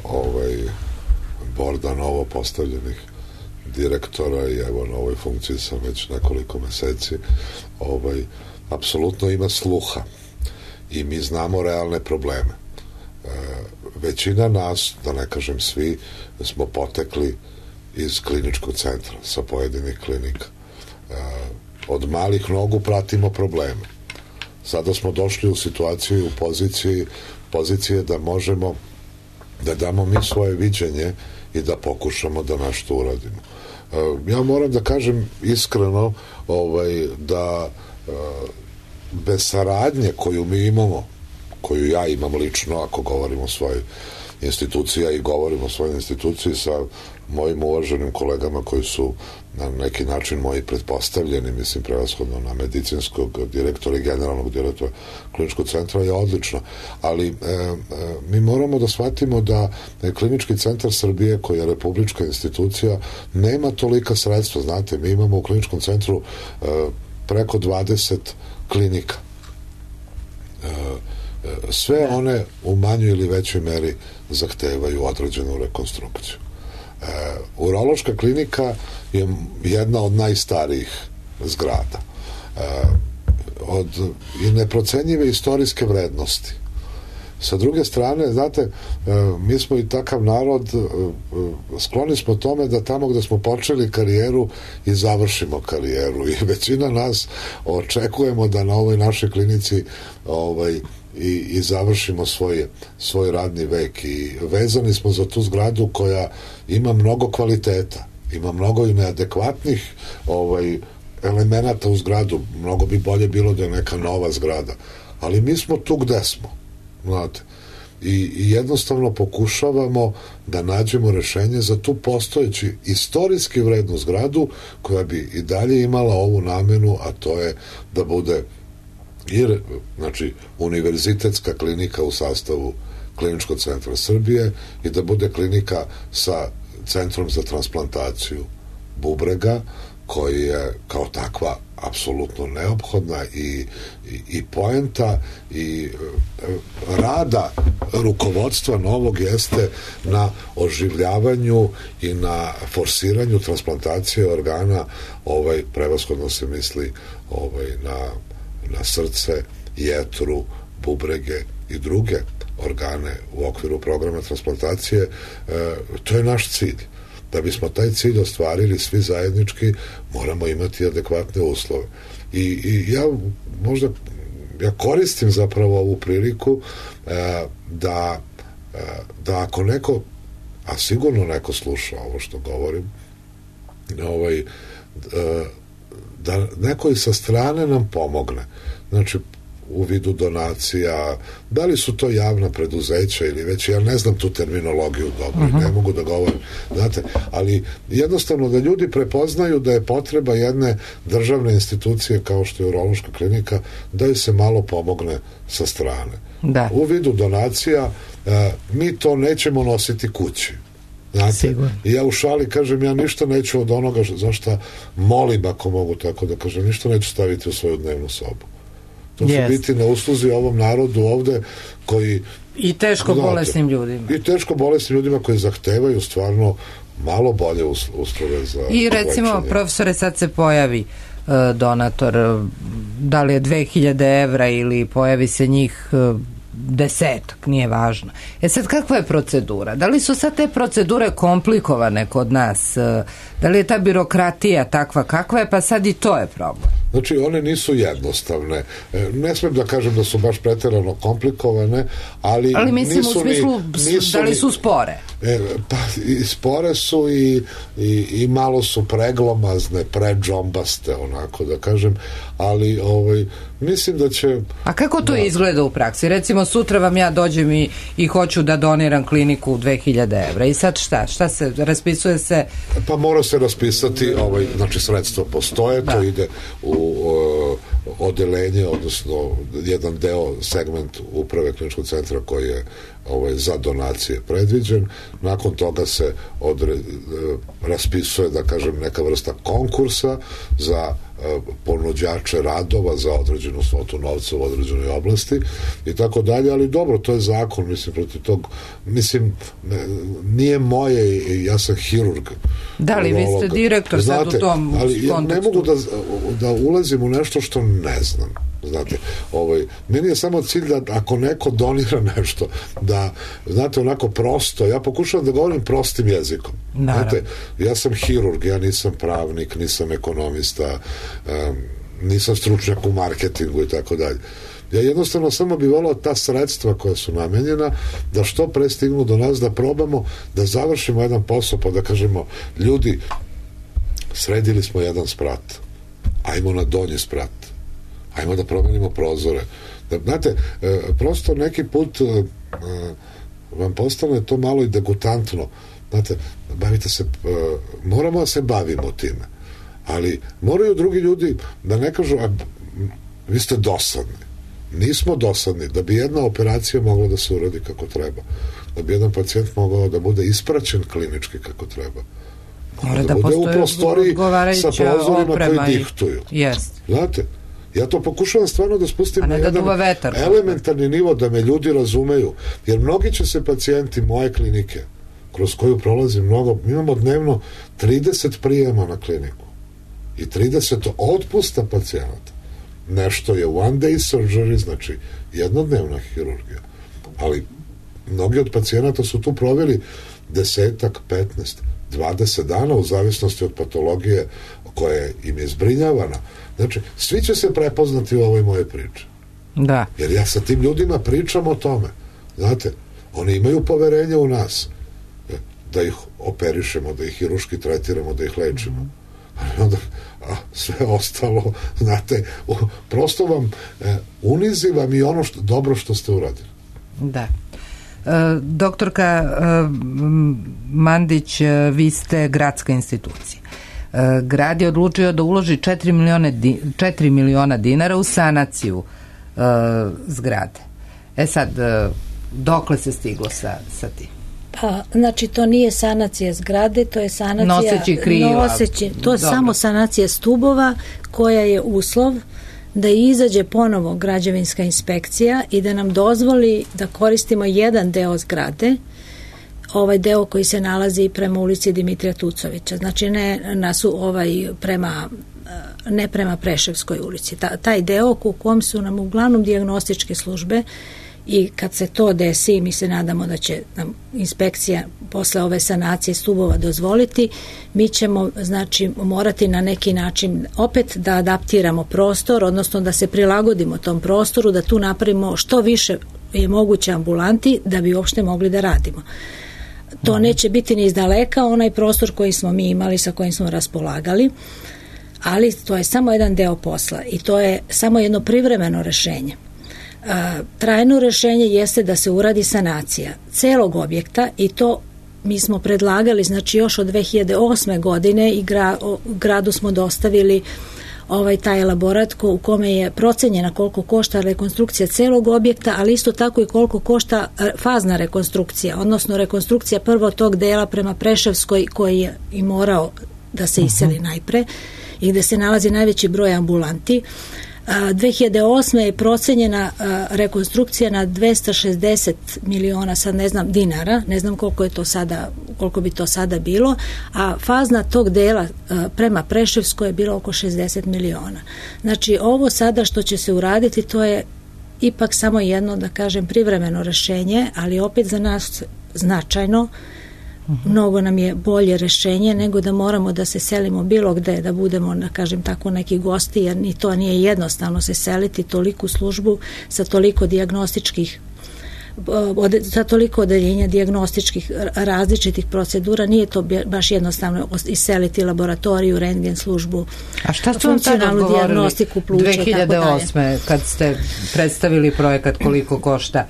ovaj, borda novo postavljenih direktora i evo na ovoj funkciji sam već nekoliko meseci, ovaj, apsolutno ima sluha i mi znamo realne probleme. E, većina nas, da ne kažem svi, smo potekli iz Kliničkog centra, sa pojedinih klinika. E, od malih nogu pratimo probleme. Sada smo došli u situaciju i u poziciji, pozicije da možemo da damo mi svoje viđenje i da pokušamo da nešto uradimo. E, ja moram da kažem iskreno ovaj, da e, bez saradnje koju mi imamo, koju ja imam lično, ako govorimo o svojoj instituciji, i govorimo o svojoj instituciji sa mojim uvaženim kolegama koji su na neki način moji pretpostavljeni, mislim prevashodno na medicinskog direktora i generalnog direktora Kliničkog centra, je odlično. Ali e, e, mi moramo da shvatimo da Klinički centar Srbije, koji je republička institucija, nema tolika sredstva. Znate, mi imamo u Kliničkom centru e, preko dvadeset klinika. E, sve one u manjoj ili većoj meri zahtevaju određenu rekonstrukciju. E, urološka klinika je jedna od najstarijih zgrada. E, od i neprocenjive istorijske vrednosti. Sa druge strane, znate, e, mi smo i takav narod, e, skloni smo tome da tamo gde smo počeli karijeru i završimo karijeru, i većina nas očekujemo da na ovoj našoj klinici ovaj i, i završimo svoj, svoj radni vek, i vezani smo za tu zgradu koja ima mnogo kvaliteta, ima mnogo i neadekvatnih ovaj, elemenata u zgradu. Mnogo bi bolje bilo da je neka nova zgrada, ali mi smo tu gde smo, znate, i, i jednostavno pokušavamo da nađemo rešenje za tu postojeći istorijski vrednu zgradu koja bi i dalje imala ovu namenu, a to je da bude i, znači, univerzitetska klinika u sastavu Kliničkog centra Srbije i da bude klinika sa centrom za transplantaciju bubrega, koji je kao takva apsolutno neophodna i, i, i poenta i e, rada rukovodstva novog jeste na oživljavanju i na forsiranju transplantacije organa, ovaj, prevashodno se misli ovaj, na na srce, jetru, bubrege i druge organe u okviru programa transplantacije. E, to je naš cilj. Da bismo taj cilj ostvarili svi zajednički, moramo imati adekvatne uslove. I, i ja možda ja koristim zapravo ovu priliku e, da, e, da ako neko, a sigurno neko sluša ovo što govorim, ovaj, e, da neko i sa strane nam pomogne. Znači, u vidu donacija, da li su to javna preduzeća ili već, ja ne znam tu terminologiju dobro, uh-huh. ne mogu da govorim, znate, ali jednostavno da ljudi prepoznaju da je potreba jedne državne institucije kao što je urološka klinika, da joj se malo pomogne sa strane. Da. U vidu donacija, e, mi to nećemo nositi kući. Znate, i ja u šali kažem, ja ništa neću od onoga za šta molim, ako mogu tako da kažem, ništa neću staviti u svoju dnevnu sobu. To yes. su biti na usluzi ovom narodu ovde koji...
I teško znate, bolesnim ljudima. I
teško bolesnim ljudima koji zahtevaju stvarno malo bolje uslove za...
I recimo, lečenje. Profesore, sad se pojavi uh, donator, uh, da li je dve hiljade evra ili pojavi se njih... Uh, desetak, nije važno. E sad, kakva je procedura? Da li su sad te procedure komplikovane kod nas? Da li je ta birokratija takva kakva je, pa sad i to je problem?
Znači, one nisu jednostavne. Ne smijem da kažem da su baš preterano komplikovane, ali,
ali mislim
nisu
u smislu
ni, nisu
da li su spore?
E, pa i spore su i, i, i malo su preglomazne, predžombaste, onako da kažem, ali ovaj, mislim da će...
A kako to
da.
izgleda u praksi? Recimo sutra vam ja dođem i, i hoću da doniram kliniku dve hiljade evra i sad šta? Šta se, raspisuje se?
Pa mora se raspisati, ovaj, znači sredstva postoje, da. To ide u uh, odelenje, odnosno jedan deo, segment uprave kliničkog centra koji je ovaj, za donacije predviđen. Nakon toga se odre, raspisuje, da kažem, neka vrsta konkursa za ponuđače radova za određenu svotu novca u određenoj oblasti i tako dalje, ali dobro, to je zakon, mislim, protiv tog, mislim, nije moje, ja sam hirurg.
Da li vi ste direktor sad u tom
ali ja ne mogu da, da ulazim u nešto što ne znam. Znate, ovaj, meni je samo cilj da ako neko donira nešto, da, znate, onako prosto, ja pokušavam da govorim prostim jezikom. Znate, ja sam hirurg, ja nisam pravnik, nisam ekonomista, um, nisam stručnjak u marketingu i tako dalje. Ja jednostavno samo bih volao ta sredstva koja su namenjena da što pre stignu do nas, da probamo da završimo jedan posao, pa da kažemo, ljudi, sredili smo jedan sprat, ajmo na donji sprat, ajmo da promenimo prozore. Da, znate, e, prosto neki put e, vam postane to malo i degutantno. Znate, bavite se, e, moramo da se bavimo time. Ali moraju drugi ljudi da ne kažu, a, vi ste dosadni. Nismo dosadni. Da bi jedna operacija mogla da se uradi kako treba. Da bi jedan pacijent mogao da bude ispraćen klinički kako treba.
Mora
da, da bude u prostoriji sa prozorima koji diktuju.
Jest.
Znate, ja to pokušavam stvarno da spustim na
da
jedan
vetar,
elementarni nivo, da me ljudi razumeju, jer mnogi će se pacijenti moje klinike, kroz koju prolazim mnogo, mi imamo dnevno trideset prijema na kliniku i trideset otpusta pacijenata. Nešto je one day surgery, znači jednodnevna hirurgija, ali mnogi od pacijenata su tu proveli desetak, petnaest, dvadeset dana u zavisnosti od patologije koja im je zbrinjavana. Znači, svi će se prepoznati u ovoj moje priči.
Da.
Jer ja sa tim ljudima pričam o tome. Znate, oni imaju poverenje u nas. Da ih operišemo, da ih hiruški tretiramo, da ih lečimo. Ali onda, a, sve ostalo, znate, u, prosto vam e, unizi vam i ono što, dobro što ste uradili.
Da. E, doktorka e, Mandić, e, vi gradska institucija. Grad je odlučio da uloži četiri miliona dinara u sanaciju uh, zgrade. E sad, uh, dokle se stiglo sa, sa tim?
Pa, znači, to nije sanacija zgrade, to je sanacija...
Noseći kriva.
Noseći, to je Dobro. samo sanacija stubova koja je uslov da izađe ponovo građevinska inspekcija i da nam dozvoli da koristimo jedan deo zgrade, ovaj deo koji se nalazi prema ulici Dimitrija Tucovića, znači ne, nasu, ovaj, prema, ne prema Preševskoj ulici. Ta, taj deo u kom su nam uglavnom dijagnostičke službe i kad se to desi, mi se nadamo da će nam inspekcija posle ove sanacije stubova dozvoliti, mi ćemo znači morati na neki način opet da adaptiramo prostor, odnosno da se prilagodimo tom prostoru, da tu napravimo što više je moguće ambulanti da bi uopšte mogli da radimo. To neće biti ni izdaleka onaj prostor koji smo mi imali, sa kojim smo raspolagali, ali to je samo jedan deo posla i to je samo jedno privremeno rešenje. Trajno rešenje jeste da se uradi sanacija celog objekta i to mi smo predlagali, znači još od dve hiljade osme godine i gra, o, gradu smo dostavili ovaj taj elaborat ko, u kome je procenjena koliko košta rekonstrukcija celog objekta, ali isto tako i koliko košta fazna rekonstrukcija, odnosno rekonstrukcija prvo tog dela prema Preševskoj koji je i morao da se iseli najpre i gde se nalazi najveći broj ambulanti. dve hiljade osme je procenjena rekonstrukcija na dvesta šezdeset miliona, sad ne znam, dinara, ne znam koliko je to sada, koliko bi to sada bilo, a fazna tog dela prema Preševskoj je bila oko šezdeset miliona. Znači, ovo sada što će se uraditi, to je ipak samo jedno, da kažem, privremeno rešenje, ali opet za nas značajno. Mnogo nam je bolje rešenje nego da moramo da se selimo bilo gde, da budemo, da kažem tako, neki gosti, jer ni to nije jednostavno se seliti toliku službu sa toliko dijagnostičkih ode, za toliko odeljenja dijagnostičkih različitih procedura, nije to baš jednostavno iseliti laboratoriju, rentgen službu,
a šta su vam tad odgovorili
dijagnostiku pluća,
dve hiljade osme kad ste predstavili projekat koliko košta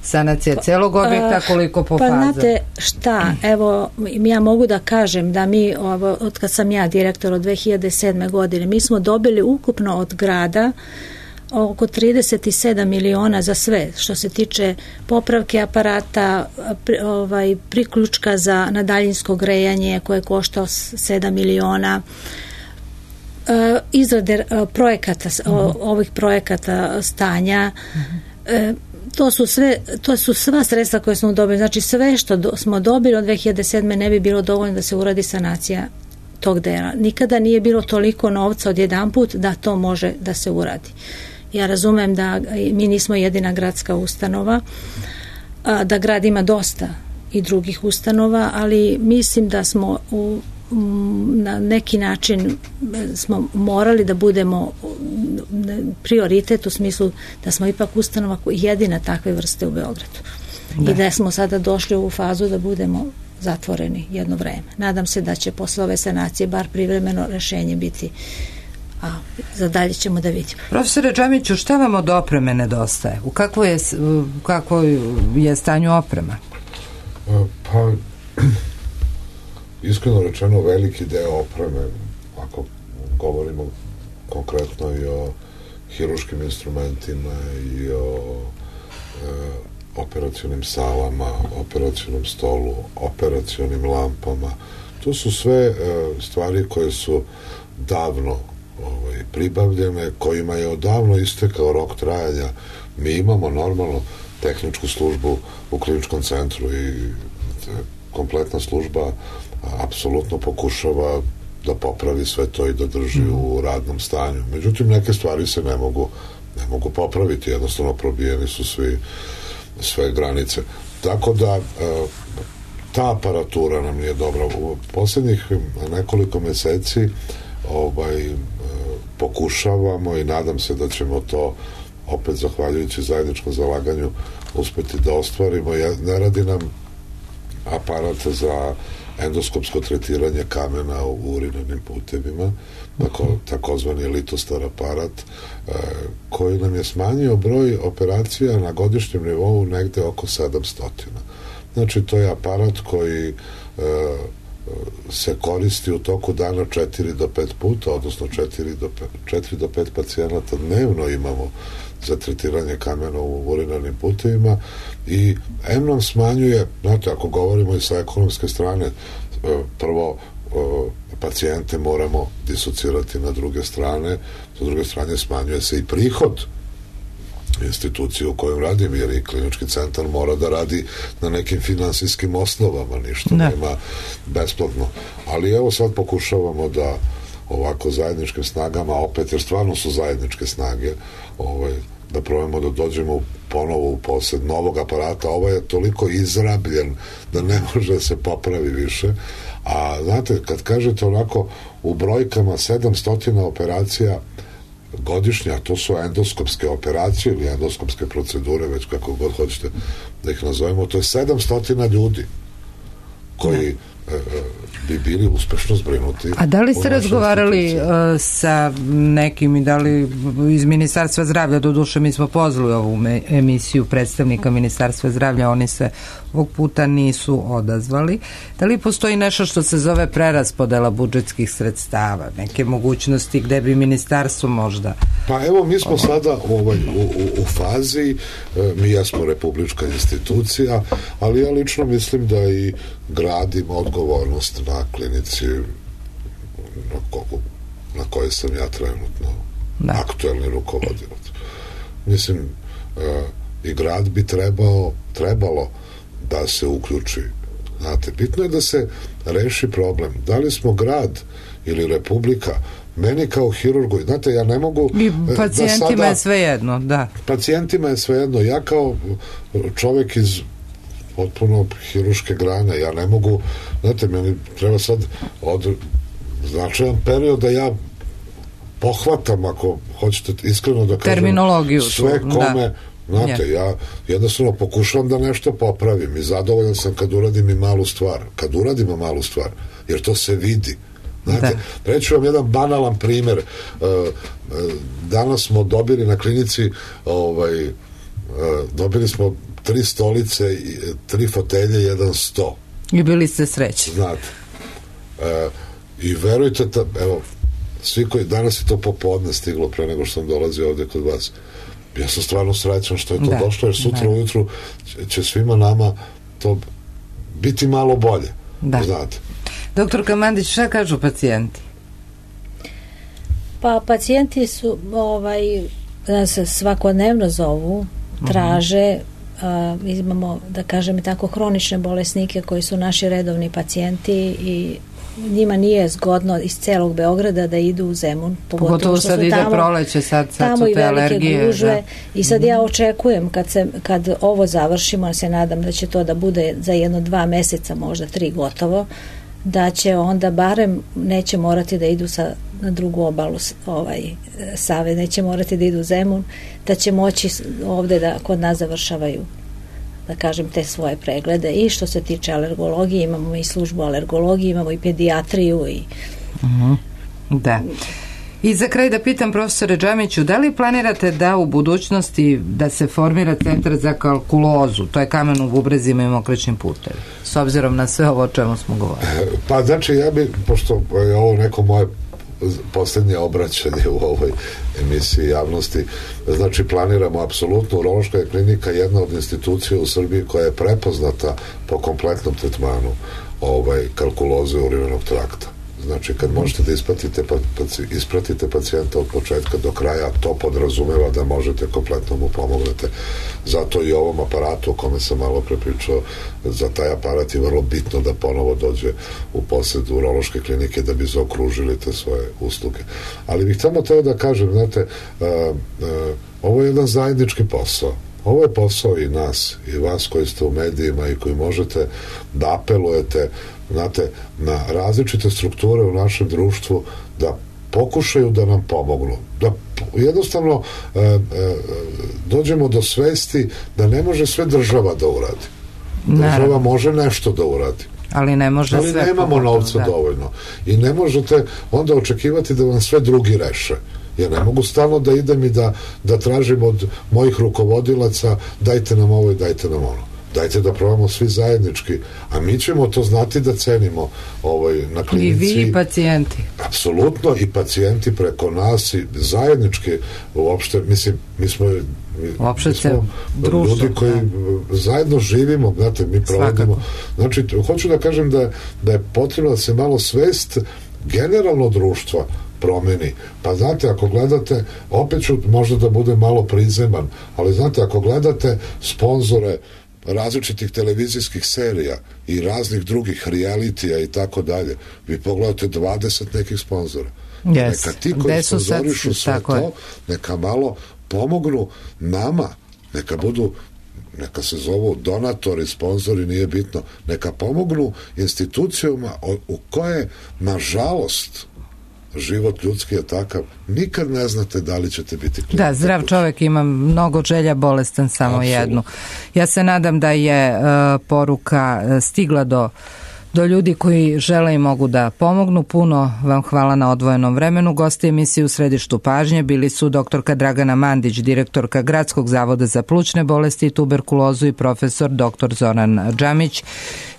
sanacija celog objekta, koliko po
pa,
fazama?
Pa znate šta, evo ja mogu da kažem da mi, ovo, od kad sam ja direktor od dve hiljade sedme godine, mi smo dobili ukupno od grada oko trideset sedam miliona za sve, što se tiče popravke aparata, pri, ovaj, priključka za na daljinsko grejanje koje košta sedam miliona, e, izrade projekata, mm-hmm. o, ovih projekata stanja, mm-hmm. e, to su sve, to su sva sredstva koje smo dobili, znači sve što do, smo dobili od dve hiljade sedme ne bi bilo dovoljno da se uradi sanacija tog dela. Nikada nije bilo toliko novca odjedanput da to može da se uradi. Ja razumem da mi nismo jedina gradska ustanova, da grad ima dosta i drugih ustanova, ali mislim da smo u, na neki način smo morali da budemo prioritet u smislu da smo ipak ustanova jedina takve vrste u Beogradu. Da. I da smo sada došli u fazu da budemo zatvoreni jedno vreme. Nadam se da će posle ove sanacije bar privremeno rešenje biti, a za dalje ćemo da vidimo.
Profesore Džamiću, šta vam od opreme nedostaje? U kakvoj je, u kakvoj je stanju oprema?
Pa, iskreno rečeno, veliki deo opreme, ako govorimo konkretno i o hiruškim instrumentima i o e, operacionim salama, operacionom stolu, operacionim lampama, to su sve e, stvari koje su davno ovaj, pribavljene, kojima je odavno istekao rok trajanja. Mi imamo normalno tehničku službu u kliničkom centru i kompletna služba apsolutno pokušava da popravi sve to i da drži u radnom stanju. Međutim, neke stvari se ne mogu, ne mogu popraviti, jednostavno probijeni su svi, sve granice. Tako da ta aparatura nam nije dobra. U poslednjih nekoliko meseci ovaj, pokušavamo i nadam se da ćemo to opet zahvaljujući zajedničkom zalaganju uspeti da ostvarimo. Ne radi nam aparat za endoskopsko tretiranje kamena u urinarnim putevima, tako, takozvani litostar aparat, e, koji nam je smanjio broj operacija na godišnjem nivou negde oko sedamsto. Znači, to je aparat koji e, se koristi u toku dana četiri do pet puta, odnosno četiri do pet pacijenata dnevno imamo za tretiranje kamena u urinarnim putevima i em nam smanjuje, znate, ako govorimo i sa ekonomske strane, prvo pacijente moramo disocirati na druge strane, sa druge strane smanjuje se i prihod institucije u kojoj radim, jer i klinički centar mora da radi na nekim finansijskim osnovama, ništa ne. nema besplatno. Ali evo sad pokušavamo da ovako zajedničkim snagama, opet, jer stvarno su zajedničke snage, ovaj, da probamo da dođemo ponovo u posed novog aparata. Ovaj je toliko izrabljen da ne može da se popravi više. A znate, kad kažete onako u brojkama sedamsto operacija godišnje, a to su endoskopske operacije ili endoskopske procedure, već kako god hoćete da ih nazovemo, to je sedamsto ljudi koji bi bili uspešno zbrinuti.
A da li ste razgovarali uh, sa nekim i da li iz Ministarstva zdravlja, do duše mi smo pozvali ovu emisiju predstavnika Ministarstva zdravlja, oni se ovog puta nisu odazvali. Da li postoji nešto što se zove preraspodela budžetskih sredstava, neke mogućnosti gde bi ministarstvo možda...
Pa evo, mi smo sada ovaj, u, u, u fazi, mi jesmo republička institucija, ali ja lično mislim da i grad ima odgovornost na klinici na, ko, na kojoj sam ja trenutno da. aktuelni rukovodilac. Mislim, e, i grad bi trebao, trebalo da se uključi. Znate, bitno je da se reši problem. Da li smo grad ili republika, meni kao hirurgu, znate, ja ne mogu...
I pacijentima da sada, je sve jedno, da.
Pacijentima je sve jedno. Ja kao čovek iz potpuno hiruške grane, ja ne mogu, znate, meni treba sad od značajan period da ja pohvatam, ako hoćete iskreno da kažem,
terminologiju
sve kome
da.
Znate, ja jednostavno pokušavam da nešto popravim i zadovoljan sam kad uradim i malu stvar. Kad uradimo malu stvar, jer to se vidi. Znate, reću vam jedan banalan primer. Danas smo dobili na klinici ovaj, dobili smo tri stolice, tri fotelje, jedan sto.
I bili ste srećni.
Znate. I verujte, evo, svi koji, danas je to popodne stiglo pre nego što sam dolazio ovde kod vas. Ja sam stvarno srećan što je to da, došlo, jer sutra da. ujutru će svima nama to biti malo bolje. Da. Znate.
Doktorka Mandić, šta kažu pacijenti?
Pa pacijenti su ovaj, se svakodnevno zovu, traže, uh, imamo, da kažem tako, hronične bolesnike koji su naši redovni pacijenti i njima nije zgodno iz celog Beograda da idu u Zemun, pogotovo,
pogotovo
što
sad
su
ide
tamo,
proleće, sad, sad
tamo
su te
i velike
alergije,
gužve
da.
I sad ja očekujem kad, se, kad ovo završimo, se nadam da će to da bude za jedno dva meseca, možda tri gotovo, da će onda barem neće morati da idu sa, na drugu obalu ovaj, Save, neće morati da idu u Zemun, da će moći ovde da kod nas završavaju, da kažem, te svoje preglede. I što se tiče alergologije, imamo i službu alergologije, imamo i pedijatriju i...
Uh-huh. Da. I za kraj da pitam profesore Džamiću, da li planirate da u budućnosti da se formira centar za kalkulozu, to je kamen u bubrezima i mokraćnim putevima, s obzirom na sve ovo o čemu smo govorili?
Pa znači ja bi, pošto je ovo neko moje poslednje obraćanje u ovoj emisiji javnosti, znači planiramo apsolutno, urološka je klinika jedna od institucija u Srbiji koja je prepoznata po kompletnom tretmanu ovaj, kalkuloze urinarnog trakta. Znači, kad možete da ispratite, ispratite pacijenta od početka do kraja, to podrazumeva da možete kompletno mu pomognete. Zato i ovom aparatu o kome sam malo prepričao, za taj aparat je vrlo bitno da ponovo dođe u posed urološke klinike da bi zaokružili te svoje usluge. Ali bih tamo teo da kažem, znate, a, a, ovo je jedan zajednički posao. Ovo je posao i nas, i vas koji ste u medijima i koji možete da apelujete, znate, na različite strukture u našem društvu da pokušaju da nam pomognu. Da jednostavno e, e, dođemo do svesti da ne može sve država da uradi. Država Naravno. može nešto da uradi.
Ali ne može
Ali
sve.
Ali nemamo
pogotovo,
novca
da.
dovoljno. I ne možete onda očekivati da vam sve drugi reše. Ja ne mogu stalno da idem i da, da tražim od mojih rukovodilaca dajte nam ovo i dajte nam ono. Dajte da probamo svi zajednički, a mi ćemo to znati da cenimo ovaj, na klinici.
I vi i pacijenti.
Apsolutno, i pacijenti preko nas i zajednički uopšte, mislim, mi smo, mi,
uopšte
mi smo društvo, ljudi koji da. zajedno živimo, znate, mi provodimo. Znači, hoću da kažem da, da je potrebno da se malo svest generalno društva promeni. Pa znate, ako gledate, opet ću možda da bude malo prizeman, ali znate, ako gledate sponzore različitih televizijskih serija i raznih drugih realitija i tako dalje, vi pogledate dvadeset nekih sponzora.
Yes.
Neka ti koji sponzorišu sve to, je. neka malo pomognu nama, neka budu, neka se zovu donatori, sponzori, nije bitno, neka pomognu institucijama u koje, nažalost, život ljudski je takav, nikad ne znate da li ćete biti klijent.
Da, zdrav čovjek ima mnogo želja, bolestan samo Absolut. jednu. Ja se nadam da je uh, poruka stigla do do ljudi koji žele i mogu da pomognu. Puno vam hvala na odvojenom vremenu. Gosti emisije u središtu pažnje bili su doktorka Dragana Mandić, direktorka Gradskog zavoda za plućne bolesti i tuberkulozu, i profesor doktor Zoran Džamić,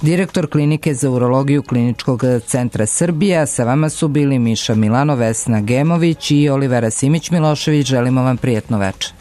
direktor klinike za urologiju Kliničkog centra Srbija. Sa vama su bili Miša Milano, Vesna Gemović i Olivera Simić-Milošević. Želimo vam prijetno večer.